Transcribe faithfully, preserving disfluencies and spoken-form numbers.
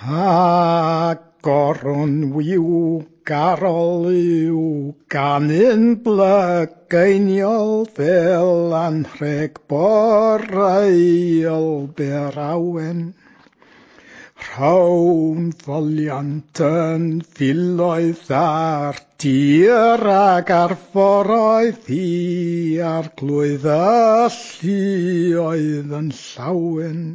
A goron wiw garol yw ganu'n blygeiniol fel anrheg boreol bêr awen. Rhown foliant yn filoedd ar dir ac ar foroedd i arglwydd y lluoedd yn llawen.